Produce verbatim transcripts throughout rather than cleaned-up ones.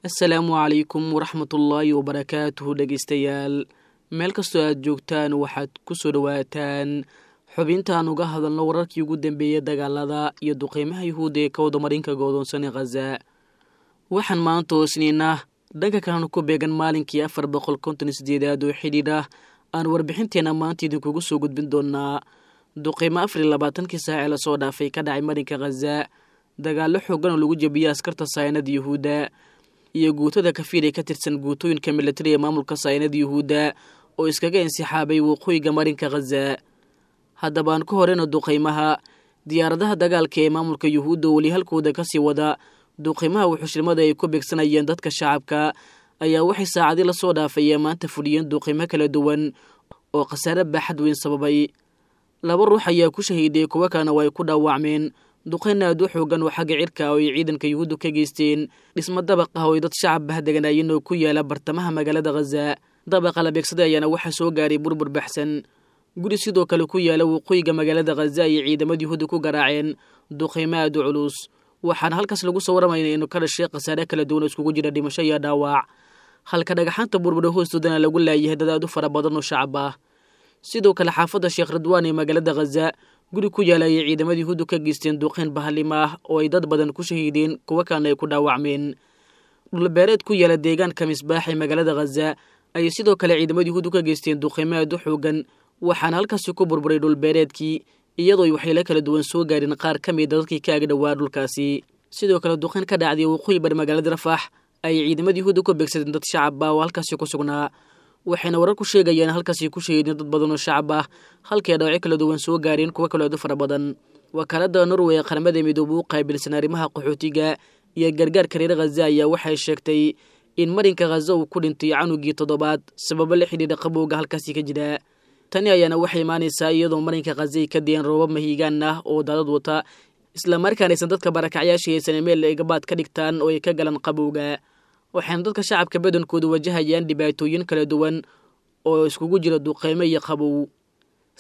Asalaamu calaykum waraxmatullaahi wabarakaatuhu dhegeystayaal, meel kastoo aad joogtaan waxaad ku soo dhowaataan xubintaan uga hadalno wararkii ugu dambeeyey dagaalada iyo duqeymaha yuhuudda ee ka wadamarinka goodoonsan ee Khaza. Waxaan maanta oosnaynaa dhanka kalena ku beegan maalinkii afar boqol konton iyo sideedaad oo xidhiidh ah aan warbixinteena maanta idinkugu soo gudbin doonaa duqeymo afar iyo labaatankii saac ee lasoo dhaafay ka dhacay marinka Khaza, dagaallo xoogan oo lagu jebiyey askarta saynada yuhuudda iyo guutada kafiir ee ka tirsan guutooyinka militari ee maamulka saynada yuhuudda oo iskaga insixaabay waqooyiga marinka Khaza. Haddaba aan ku horeyno duqeymaha. Diyaaradaha dagaalka ee maamulka yuhuudda oo weli halkooda kasii wada duqeymaha wuxushlimada ay ku beegsanayeen dadka shacabka ayaa waxay saacadii lasoo dhaafay ee maanta fuliyeen duqeymo kala duwan oo khasaare baaxad weyn sababay. Laba ruux ayaa ku shahiiday, kuwo kalena way ku dhaawacmeen duqeyn aad u xoogan oo xagga cirka oo ay ciidanka yuhuuddu ka geysteen dhismo dabaq ah oo ay dad shacab ah deganaayeen oo ku yaala bartamaha magaalada Khaza. Dabaqa la beegsaday ayaana waxaa soo gaaray burbur baxsan. Guri sidoo kale ku yaala waqooyiga magaalada Khaza ayay ciidamada yuhuudda ku garaaceen duqeymo aad u culus, waxaana halkaas lagu soo waramaynaa inuu ka dhashay khasaare kala duwan oo iskugu jira dhimasho iyo dhaawac, halka dhagaxaanta burbura hoostoodana lagu laayahay dad aad u fara badan oo shacab ah. Sidoo kale xaafadda Sheekh Ridwaan ee magaalada Khaza guri ku yaala ayay ciidamada yuhuuddu ka geysteen duqeyn bahalima ah oo ay dad badan ku shahiideen, kuwo kalena ay ku dhaawacmeen. Dhulbeereed ku yaala deegaanka Misbaax ee magaalada Khaza ayay sidoo kale ciidamada yuhuuddu ka geysteen duqeymo aad u xoogan, waxaana halkaasi ku burburay dhulbeereedkii iyadoo ay waxyeelo kala duwan soo gaareen qaar ka mida dadkii ka agdhowaa dhulkaasi. Sidoo kale duqeyn ka dhacday waqooyi bari magaalada Rafax ayay ciidamada yuhuudda ku beegsadeen dad shacab ah oo halkaasi ku sugnaa, waxayna warar ku sheegayaan halkaasi ku shahiideen dad badan oo shacab ah, halkii ay dhaawacyo kala duwan soo gaareen kuwo kaloo aad u fara badan. Wakaaladda Norway ee Qaramada Midoobay u qaabilsan arrimaha qaxootiga iyo gargaarka reer Khaza ayaa waxay sheegtay in marinka Khaza uu ku dhintay canugii toddobaad sababo la xidhiidha qabowga halkaasi ka jira. Tani ayaana waxay imaanaysaa iyadoo marinka Khaza ay ka dayeen roobab mahiigaan ah oo daadad wata, islamarkaana aysan dadka barakacyaasha haysan meel ay gabaad ka dhigtaan oo ay ka galaan qabowga. Waxayna dadka shacabka badankoodu wajahayaan dhibaatooyin kala duwan oo iskugu jira duqeymo iyo qabow.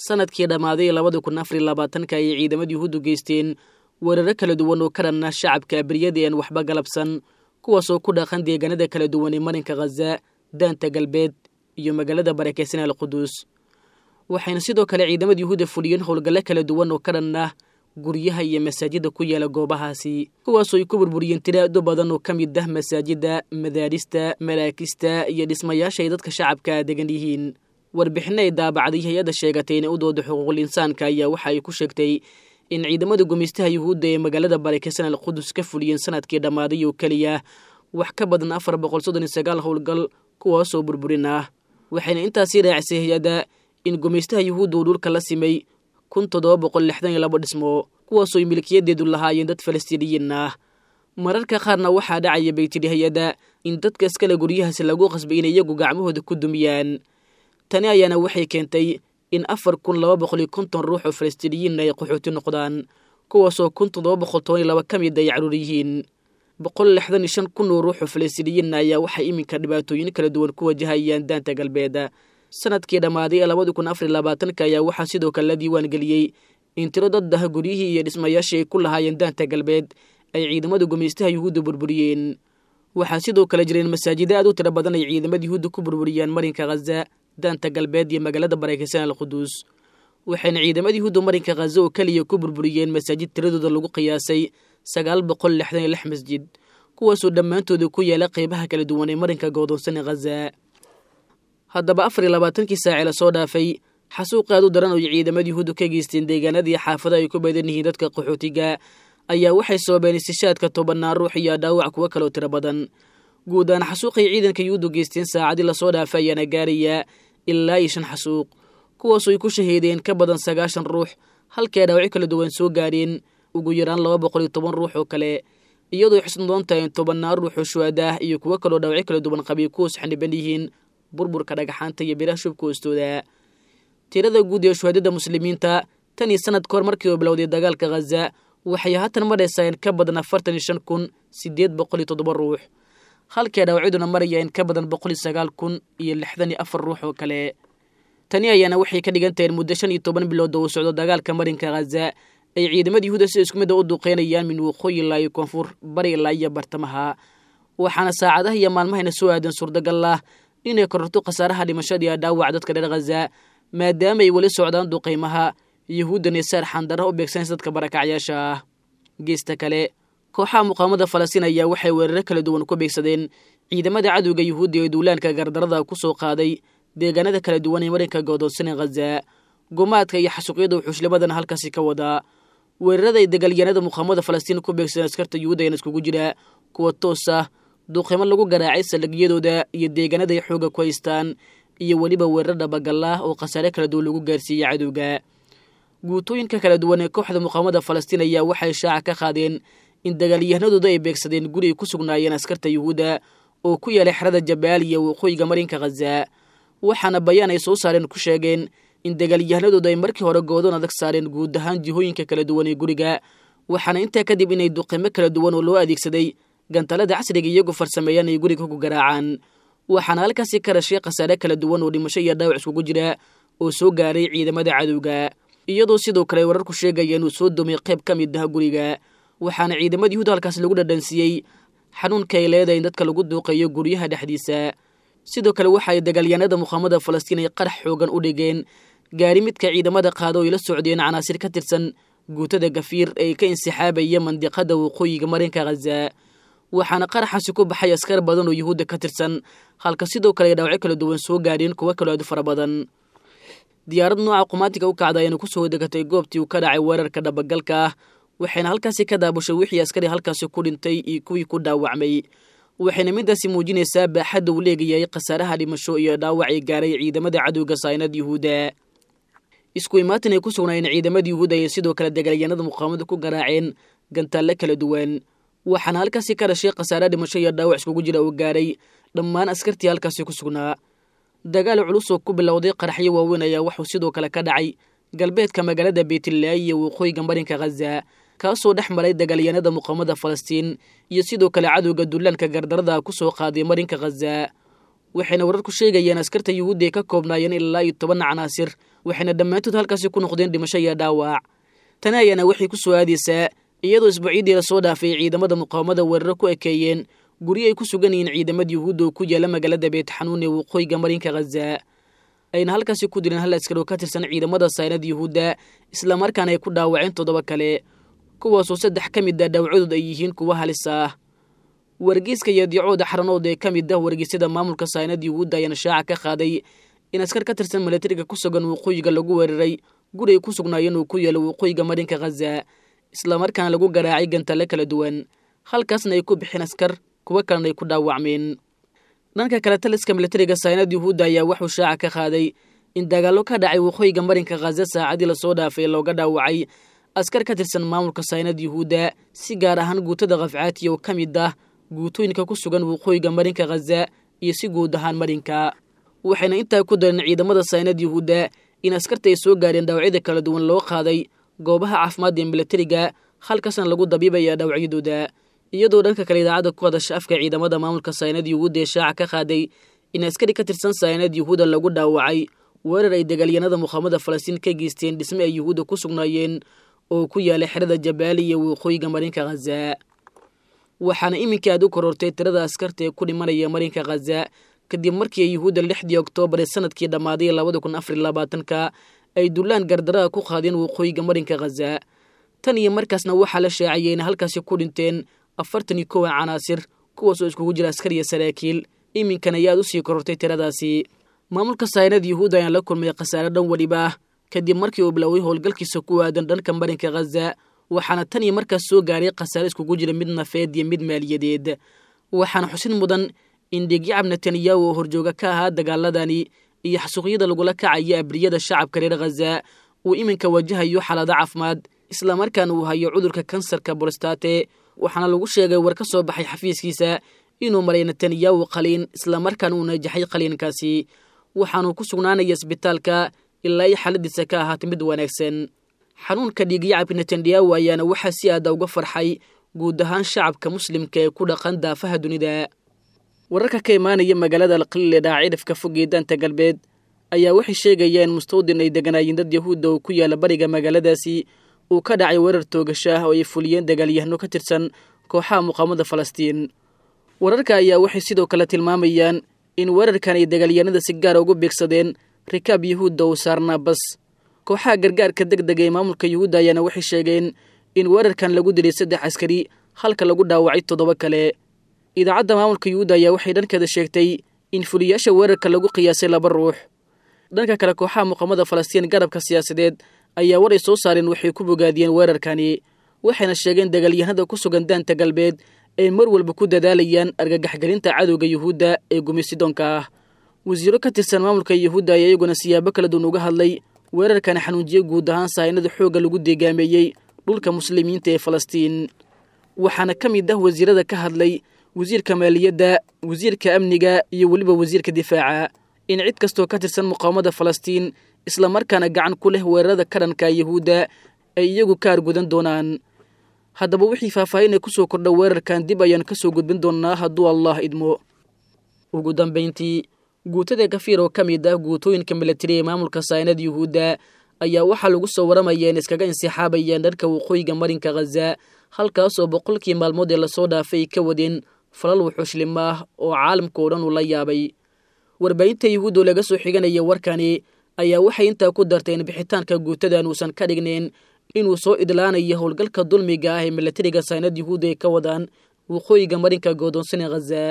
Sanadkii dhammaaday labada kun afar iyo labaatanka ayay ciidamada yuhuuddu geysteen weeraro kala duwan oo ka dhanna shacabka abriyada aan waxba galabsan, kuwaasoo ku dhaqan deegaanada kala duwan ee marinka Khaza, Daanta Galbeed iyo magaalada barakeysan Alquduus. Waxayna sidoo kale ciidamada yuhuudda fuliyeen howlgallo kala duwan oo ka dhan ah guryaha iyo masaajidda ku yaala goobahaasi, kuwaasoo ay ku burburiyeen tiro aad u badan oo ka mid ah masaajidda, madaarista, maraakista iyo dhismayaasha ay dadka shacabka degan yihiin. Warbixinno ay daabacday hay-adda sheegatay inay u dooda xuquuqul insaanka ayaa waxa ay ku sheegtay in ciidamada gumaystaha yuhuudda ee magaalada barakeysan Alqudus ka fuliyeen sanadkii dhammaaday oo keliya wax ka badan afar boqol soddon iyo sagaal howlgal kuwaasoo burburin ah. Waxayna intaasii raacisay hay-adda in gumaystaha yuhuudda uu dhulka la simay kun toddoba boqol lixdan iyo laba dhismo, kuwaasoo ay milkiyadeedu lahaayeen dad falastiiniyiin ah. Mararka qaarna waxaa dhacaya bay tidhi hay-adda in dadka iskale guryahaasi lagu qasbay inay iyagu gacmahooda ku dumiyaan. Tani ayaana waxay keentay in afar kun laba boqol iyo konton ruux oo falastiiniyiin ay qaxooti noqdaan, kuwaasoo kun toddoba boqol toban iyo laba ka mid ay carruur yihiin. Boqol lixdan iyo shan kun oo ruux oo falastiiniyiin ayaa waxay iminka dhibaatooyin kala duwan ku wajahayaan Daanta Galbeed. Sanadkii dhammaaday ee labada kun afar iyo labaatanka ayaa waxaa sidoo kale la diiwaan geliyey in tiro dad ah guryihii iyo dhismayaashii ay ku lahaayeen Daanta Galbeed ay ciidamada gumaystaha yuhuudda burburiyeen. Waxaa sidoo kale jireen masaajida aad u tiro badan ay ciidamada yuhuudda ku burburiyeen marinka Khaza, Daanta Galbeed iyo magaalada barakeysan Alquduus. Waxayna ciidamada yuhuudda marinka Khaza oo keliya ku burburiyeen masaajid tiradooda lagu qiyaasay sagaal boqol lixdan iyo lix masjid, kuwaasoo dhammaantooda ku yaala qeybaha kala duwan ee marinka goodoonsan ee Khaza. Haddaba afar iyo labaatankii saace lasoo dhaafay xasuuq aad u daran oo ay ciidamada yuhuuddu ka geysteen deegaanadii xaafada ay ku badan yihiin dadka qaxootiga ayaa waxay sababeen istishaadka tobannaan ruux iyo dhaawac kuwo kaloo tiro badan. Guud ahaan xasuuqay ciidanka yuhuuddu geysteen saacadii lasoo dhaafay ayaana gaaraya ilaa iyo shan xasuuq, kuwaasoo ay ku shahiideen ka badan sagaashan ruux, halkii ay dhaawacyo kala duwan soo gaareen ugu yaraan laba boqol iyo toban ruux oo kale, iyadoo ay xusn doon tahay in tobannaan ruux oo shuhada ah iyo kuwo kaloo dhaawacyo kala duwan qabay kuwaas xaniban yihiin burburka dhagaxaanta iyo biraha shubka hoostooda. Tirada guud ee shuhadada muslimiinta tan iyo sanad kahor markii uu bilowday dagaalka Khaza waxay haatan maraysaa in ka badan afartan iyo shan kun sideed boqol iyo toddoba ruux, halkii dhaawacyaduna maraya in ka badan boqol iyo sagaal kun iyo lixdan iyo afar ruux oo kale. Tani ayaana waxay ka dhigan tahay in muddo shan iyo toban bilood oo uu socdo dagaalka marinka Khaza ay ciidamada yuhuudda si isku mid ah u duqeynayaan min waqooyi ilaa iyo koonfur, bari ilaa iyo bartamaha. Waxaana saacadaha iyo maalmahayna soo aadan suurtagal ah inay kororto khasaaraha dhimashada iyo dhaawaca dadka reer Khaza, maadaama ay weli socdaan duqaymaha yuhuuddan ee saar xandarra u beegsanaysa dadka barakacyaasha ah. Geesta kale, kooxaha muqaawamada Falastiin ayaa waxay weeraro kala duwan ku beegsadeen ciidamada cadowga yuhuudda ee duulaanka gardarada ku soo qaaday deegaanada kala duwan ee marinka goodoonsan Khaza. Gumaadka iyo xasuuqyada wuxuushlimadana halkaasi ka wadaa. Weerarada ay dagaalyahanada muqaawamada Falastiin ku beegsadeen askarta yuhuudda ayaana iskugu jira kuwa toos ah, duqeymo lagu garaacay saldhigyadooda iyo deegaanada ay xoogga ku haystaan, iyo weliba weerar dhabagal ah oo khasaare kala duwan lagu gaarsiiyey cadowga. Guutooyinka kala duwan ee kooxda muqaawamada Falastiin ayaa waxay shaaca ka qaadeen in dagaalyahanadooda ay beegsadeen guri ay ku sugnaayeen askarta yuhuudda oo ku yaalay xerada Jabaal iyo waqooyiga marinka Khaza. Waxaana bayaan ay soo saareen ku sheegeen in dagaalyahanadooda ay markii hore goodoon adag saareen guud ahaan jihooyinka kala duwan ee guriga, waxaana intaa kadib inay duqeymo kala duwan oo loo adeegsaday gantalada casriga iyagu farsameeyaan ay guriga ku garaacaan. Waxaana halkaasi ka dhashay khasaare kala duwan oo dhimasho iyo dhaawac iskugu jira oo soo gaaray ciidamada cadowga, iyadoo sidoo kale wararku sheegaya inuu soo dumay qayb ka mid ah guriga. Waxaana ciidamada yuhuud halkaas lagu dhadhansiiyey xanuunka ay leedahay in dadka lagu duuqeeyo guryaha dhexdiisa. Sidoo kale waxa ay dagaalyahanada muqaawamada Falastiin ay qarax xoogan u dhigeen gaari midka ciidamada qaado ay la socdeen canaasir ka tirsan guutada Gafiir ee ka insixaabaya mandiqada waqooyiga marinka Khaza. Waxaana qaraxaasi ku baxay askar badan oo yuhuudda ka tirsan, halka sidoo kale ay dhaawacyo kala duwan soo gaadheen kuwo kaloo aad u fara badan. Diyaarad nooca qumaatiga u kacda ayaana kusoo degatay goobtii uu ka dhacay weerarka dhabagalka ah, waxayna halkaasi ka daabushay wixii askari halkaasi ku dhintay iyo kuwii ku dhaawacmay. Waxayna midaasi muujinaysaa baaxadda uu leegayahay khasaaraha dhimasho iyo dhaawac ay gaaray ciidamada cadowga saynad yuhuudda. Isku imaatin ay ku sugnaayeen ciidamada yuhuudda ayay sidoo kale dagaalyahanada muqaawamada ku garaaceen gantaalle kala duwan, waxaana halkaasi ka dhashay khasaare dhimasho iyo dhaawac iskugu jira oo gaaray dhammaan askartii halkaasi ku sugnaa. Dagaal culus oo ku bilowday qaraxyo waaweyn ayaa wuxuu sidoo kale ka dhacay galbeedka magaalada Beytlaahi iyo waqooyiga marinka Khaza, kaasoo dhex maray dagaalyahanada muqaawamada Falastiin iyo sidoo kale cadowga duulaanka gardarada ku soo qaaday marinka Khaza. Waxayna wararku sheegayeen askarta yuhuudda ay ka koobnaayeen ilaa iyo toban canaasir, waxayna dhammaantood halkaasi ku noqdeen dhimasho iyo dhaawac. Tani ayaana waxay ku soo aadaysaa iyadoo isbuucyadii lasoo dhaafay ciidamada muqaawamada weeraro ku ekeeyeen guryo ay ku sugan yihiin ciidamada yuhuudda oo ku yaala magaalada Beytxanuun ee waqooyiga marinka Khaza, ayna halkaasi ku dileen hal askar oo ka tirsan ciidamada saynada yuhuudda, islamarkaana ay ku dhaawaceen toddoba kale, kuwaasoo saddex ka mid ah dhaawacadood ay yihiin kuwa halis ah. Wargeyska iyo dicooda xaranood ee ka mid ah wargeysyada maamulka saynada yuhuudda ayaana shaaca ka qaaday in askar ka tirsan milatariga ku sugan waqooyiga lagu weeraray guri ay ku sugnaayeen oo ku yaala waqooyiga marinka Khaza, islamarkaana lagu garaacay gantalle kala duwan, halkaasna ay ku bixeen askar, kuwo kalena ay ku dhaawacmeen. Dhanka kale, taliska milatariga saynada yuhuudda ayaa wuxuu shaaca ka qaaday in dagaallo ka dhacay waqooyiga marinka Khaza saacadii lasoo dhaafay looga dhaawacay askar ka tirsan maamulka saynada yuhuudda, si gaar ahaan guutada Khafcaatiya oo ka mid ah guutooyinka ku sugan waqooyiga marinka Khaza iyo si guud ahaan marinka. Waxayna intaa ku dareen ciidamada saynada yuhuudda in askarta ay soo gaareen dhaawacyada kala duwan loo qaaday goobaha caafimaadda ee milatariga, halkaasna lagu dabiibaya dhaawacyadooda. Iyadoo dhanka kale idaacadda ku hadasha afka ciidamada maamulka saynada yuhuudda ee shaaca ka qaaday in askari ka tirsan saynada yuhuudda lagu dhaawacay weerar ay dagaalyahanada muqaawamada Falastiin ka geysteen dhisme ay yuhuudda ku sugnaayeen oo ku yaalay xerada Jabaali iyo waqooyiga marinka Khaza. Waxaana iminka aad u korortay tirada askarta ee ku dhimanaya marinka Khaza kadib markii ay yuhuudda lixdii oktoobar ee sanadkii dhammaaday labada kun afar iyo labaatanka ay dulaan gardarada ku qaadeen waqooyiga marinka Khaza. Tan iyo markaasna waxaa la shaaciyay in halkaasi ku dhinteen afartan iyo kowa canaasir, kuwaasoo iskugu jira askar iyo saraakiil. Iminkana ayaad u sii korortay tiradaasi. Maamulka saynada yuhuudda ayaan la kulmay khasaare dhan weliba ah kadib markii uu biloway howlgalkiisa ku aadan dhanka marinka Khaza, waxaana tan iyo markaas soo gaaray khasaare iskugu jira mid nafeed iyo mid maaliyadeed. Waxaana xusid mudan in dhiigyacab Netanyahu oo horjooga ka ahaa dagaaladani iyo xasuuqyada lagula kacaya abriyada shacabka reer Khaza uu iminka wajahayo xaalado caafimaad, islamarkaana uu hayo cudurka kansarka borostate. Waxaana lagu sheegay war ka soo baxay xafiiskiisa inuu maray Netanyahu qaliin, islamarkaana uu najaxay qaliinkaasi, waxaanuu ku sugnaanaya isbitaalka ilaa ay xaaladiisa ka ahaatay mid wanaagsan. Xanuunka dhiigyacabka Netanyahu ayaana waxaa si aada uga farxay guud ahaan shacabka muslimka ee ku dhaqan daafaha dunida. Wararka ka imaanaya magaalada Alqaliil ee dhaca cidhifka fog ee daanta galbeed ayaa waxay sheegayaan in mustawdin ay deganaayeen dad yahuudda oo ku yaala bariga magaaladaasi uu ka dhacay weerar toogasho ah oo ay fuliyeen dagaalyahano ka tirsan kooxaha muqaawamada Falastiin. Wararka ayaa waxay sidoo kale tilmaamayaan in weerarkan ay dagaalyahanada si gaara ugu beegsadeen rikaab yuhuudda oo saarnaa bas. Kooxaha gargaarka deg dega ee maamulka yuhuudda ayaana waxay sheegeen in weerarkan lagu dilay saddex askari halka lagu dhaawacay toddoba kale. Idaacadda maamulka yuhuudda ayaa waxay dhankeeda sheegtay in fuliyaasha weerarka lagu qiyaasay laba ruux. Dhanka kale, kooxaha muqaamada Falastiin garabka siyaasadeed ayaa war ay soo saareen waxay ku bogaadiyeen weerarkani, waxayna sheegeen dagaalyahanada ku sugan daanta galbeed ay mar walba ku dadaalayaan argagaxgelinta cadowga yuhuudda ee gumeysidoonka ah. Wasiiro ka tirsan maamulka yuhuudda ayaa iyaguna siyaabo kala duwan uga hadlay weerarkan xanuunjiye guud ahaan sahaynada xoogga lagu deegaameeyey dhulka muslimiinta ee Falastiin. Waxaana ka mid ah wasiirada ka hadlay wasiirka maaliyadda, wasiirka amniga iyo weliba wasiirka difaaca in cid kastoo ka tirsan muqaawamada Falastiin islamarkaana gacan ku leh weerarada ka dhanka yuhuudda ay iyagu ka argudan doonaan. Haddaba wixii faahfaahin ee ku soo kordha weerarkan dib ayaan ka soo gudbin doonnaa hadduu Allah idmo. Ugu dambayntii, guutada Kafiir oo ka mid ah guutooyinka milatari ee maamulka saynada yuhuudda ayaa waxaa lagu soo waramayaa in iskaga insixaabayaan dhanka waqooyiga marinka Khaza, halkaasoo boqolkii maalmood ee lasoo dhaafay ay ka wadeen falal wuxuushlimo ah oo caalamka oo dhan uu la yaabay. Warbaahinta yuhuudda oo laga soo xiganaya warkani ayaa waxay intaa ku dartay in bixitaanka guutadan uusan ka dhignayn inuu soo idlaanayo howlgalka dulmiga ah ee milatariga saynad yuhuudda ay ka wadaan waqooyiga marinka goodoonsan ee Khaza.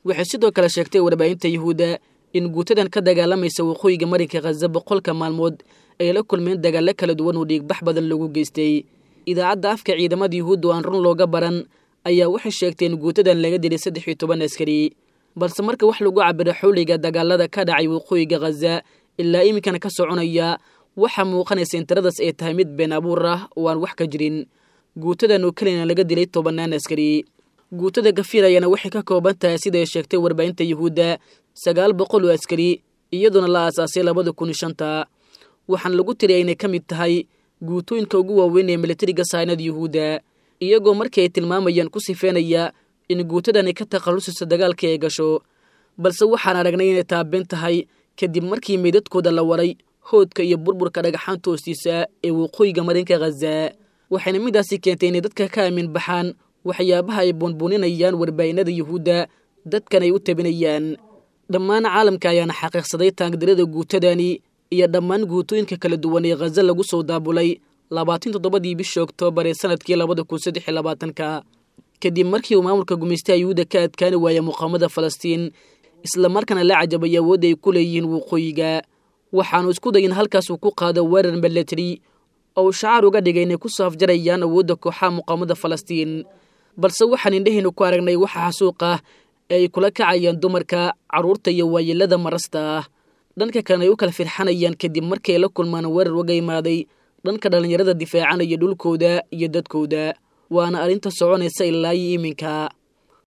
Waxay sidoo kale sheegtay warbaahinta yuhuudda in guutadan ka dagaalamaysa waqooyiga marinka Khaza boqolka maalmood ay la kulmeen dagaallo kala duwan oo dhiigbax badan lagu geystay. Idaacadda afka ciidamada yuhuudda oo aan run looga baran ayaa waxay sheegtay in guutadan laga dilay saddex iyo toban askari, balse marka wax lagu cabiro xawliga dagaalada ka dhacay waqooyiga Khaza ilaa iminkana ka soconaya, waxaa muuqanaysa in tiradaas ay tahay mid been abuur ah oo aan wax ka jirin. Guutadan oo keliyana laga dilay tobannaan askari. Guutada Kafiir ayaana waxay ka kooban tahay sida ay sheegtay warbaahinta yuhuudda sagaal boqol oo askari, iyadoona la aasaasay labada kun iyo shanta. Waxaana lagu tiriyay inay ka mid tahay guutooyinka ugu waaweyn ee milatariga saynada yuhuudda, iyagoo markii ay tilmaamayaan ku sifeynaya in guutadani ka takhallusayso dagaalkii ay gasho. Balse waxaan aragnay inay taabeen tahay kadib markii meydadkooda la waray hoodka iyo burburka dhagaxaanta hoostiisa ee waqooyiga marinka Khaza. Waxayna midaasi keentay inay dadka ka aamin baxaan waxyaabaha ay buunbuuninayaan warbaahinada yuhuudda dadkan ay u tabinayaan. Dhammaan caalamka ayaana xaqiiqsaday taangdarada guutadani iyo dhammaan guutooyinka kala duwan ee Khaza lagu soo daabulay labaatan toddobadii bishii Oktoobar ee sanadkii labada kun saddex iyo labaatanka, kadib markii uu maamulka gumeystaha yuhuudda ka adkaani waayay muqaamada Falastiin islamarkaana la cajabay awoodda ay ku leeyihiin waqooyiga. Waxaanu isku dayin halkaas uu ku qaado weerar milatari oo uu shacaar uga dhigay inay ku soo afjarayaan awoodda kooxaha muqaamada Falastiin. Balse waxaan indhahaynu ku aragnay waxa xasuuq ah ee ay kula kacayaan dumarka, carruurta iyo waayeelada marasta ah. Dhanka kalena ay u kala firxanayaan kadib markii ay la kulmaan weerar uga imaaday dhanka dhallinyarada difaacanaya dhulkooda iyo dadkooda, waana arrinta soconaysa ilaa iyo iminka.